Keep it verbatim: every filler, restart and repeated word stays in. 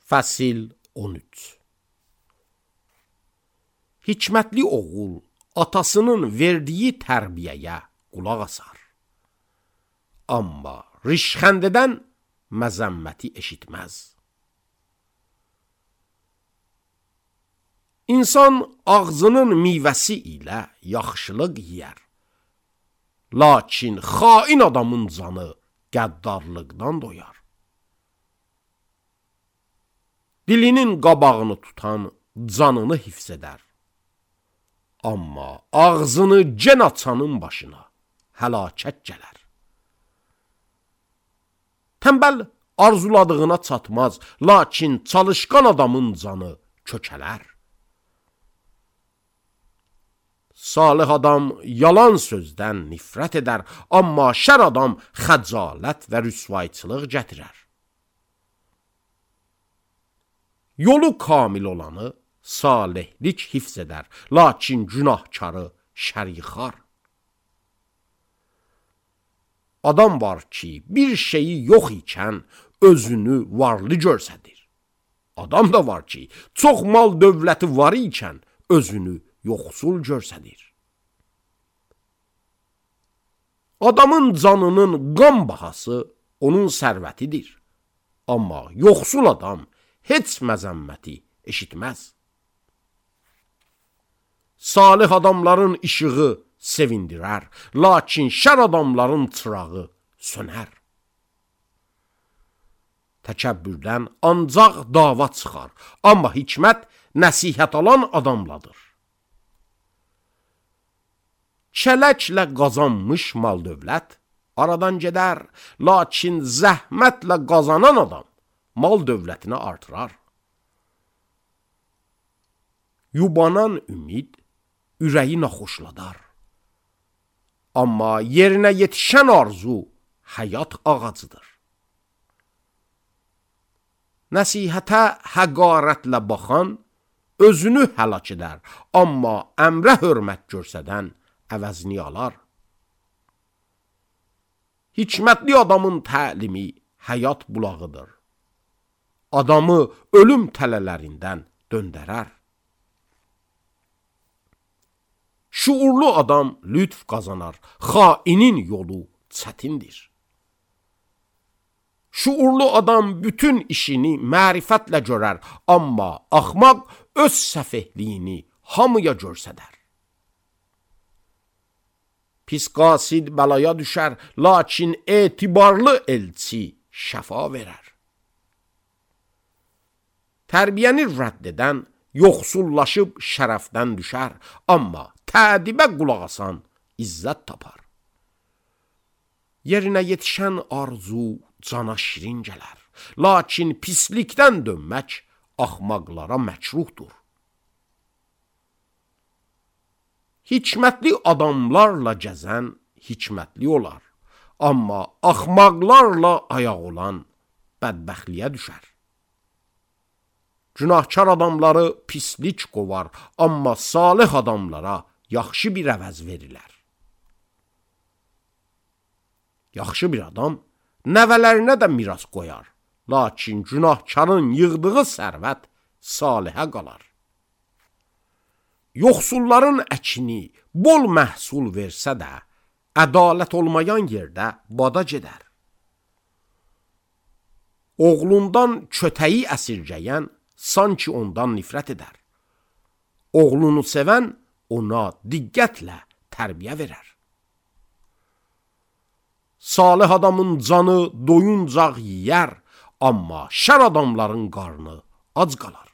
Fəsil on üç. Hikmətli oğul atasının verdiyi tərbiyəyə qulaq asar. Amma rişxəndədən məzəmməti eşitməz. İnsan ağzının meyvəsi ilə yaxşılıq yiyər. Lakin xain adamın canı qəddarlıqdan doyar. Dilinin qabağını tutan canını hifz edər. Amma ağzını cən açanın başına həlakət gələr. Tənbəl arzuladığına çatmaz, lakin çalışqan adamın canı kökələr. Salih adam yalan sözdən nifrət edər, amma şər adam xəcalət və rüsvayçılıq gətirər. Yolu kamil olanı salihlik hifz edər, lakin günahkarı şər yıxar. Adam var ki, bir şeyi yox ikən özünü varlı görsədir. Adam da var ki, çox mal dövləti var ikən özünü yoxsul görsədir. Adamın canının qan bahası onun sərvətidir. Amma yoxsul adam heç məzəmməti eşitməz. Salih adamların işığı sevindirər, lakin şər adamların çırağı sönər. Təkəbbürdən ancaq dava çıxar, amma hikmət nəsihət alan adamladır. Çələklə qazanmış mal dövlət aradan gedər, lakin zəhmətlə qazanan adam mal dövlətini artırar. Yubanan ümid ürəyi naxoşladar. Amma yerinə yetişən arzu həyat ağacıdır. Nəsihətə həqarətlə baxan özünü həlak edər, amma əmrə hörmət görsədən əvəzini alar. Hikmətli adamın təlimi həyat bulağıdır. Adamı ölüm tələlərindən döndərər. Şuurlu adam lütf qazanar, xainin yolu çətindir. Şuurlu adam bütün işini mərifətlə görər, amma axmaq öz səfehliyini hamıya görsədər. Pis qasid bəlaya düşər, lakin etibarlı elçi şəfa verər. Tərbiyəni rədd edən yoxsullaşıb şərəfdən düşər, amma tədibə qulaq asan izzət tapar. Yerinə yetişən arzu cana şirin gələr, lakin pislikdən dönmək axmaqlara məkruhdur. Hikmətli adamlarla gəzən hikmətli olar, amma axmaqlarla ayaq olan bədbəxtliyə düşər. Günahkar adamları pislik qovar, amma salih adamlara yaxşı bir əvəz verilər. Yaxşı bir adam nəvələrinə də miras qoyar, lakin günahkarın yığdığı sərvət salihə qalar. Yoxsulların əkini bol məhsul versə də, ədalət olmayan yerdə bada gedər. Oğlundan kötəyi əsirgəyən sanki ondan nifrət edər. Oğlunu sevən ona diqqətlə tərbiyə verər. Salih adamın canı doyuncaq yiyər, amma şər adamların qarnı ac qalar.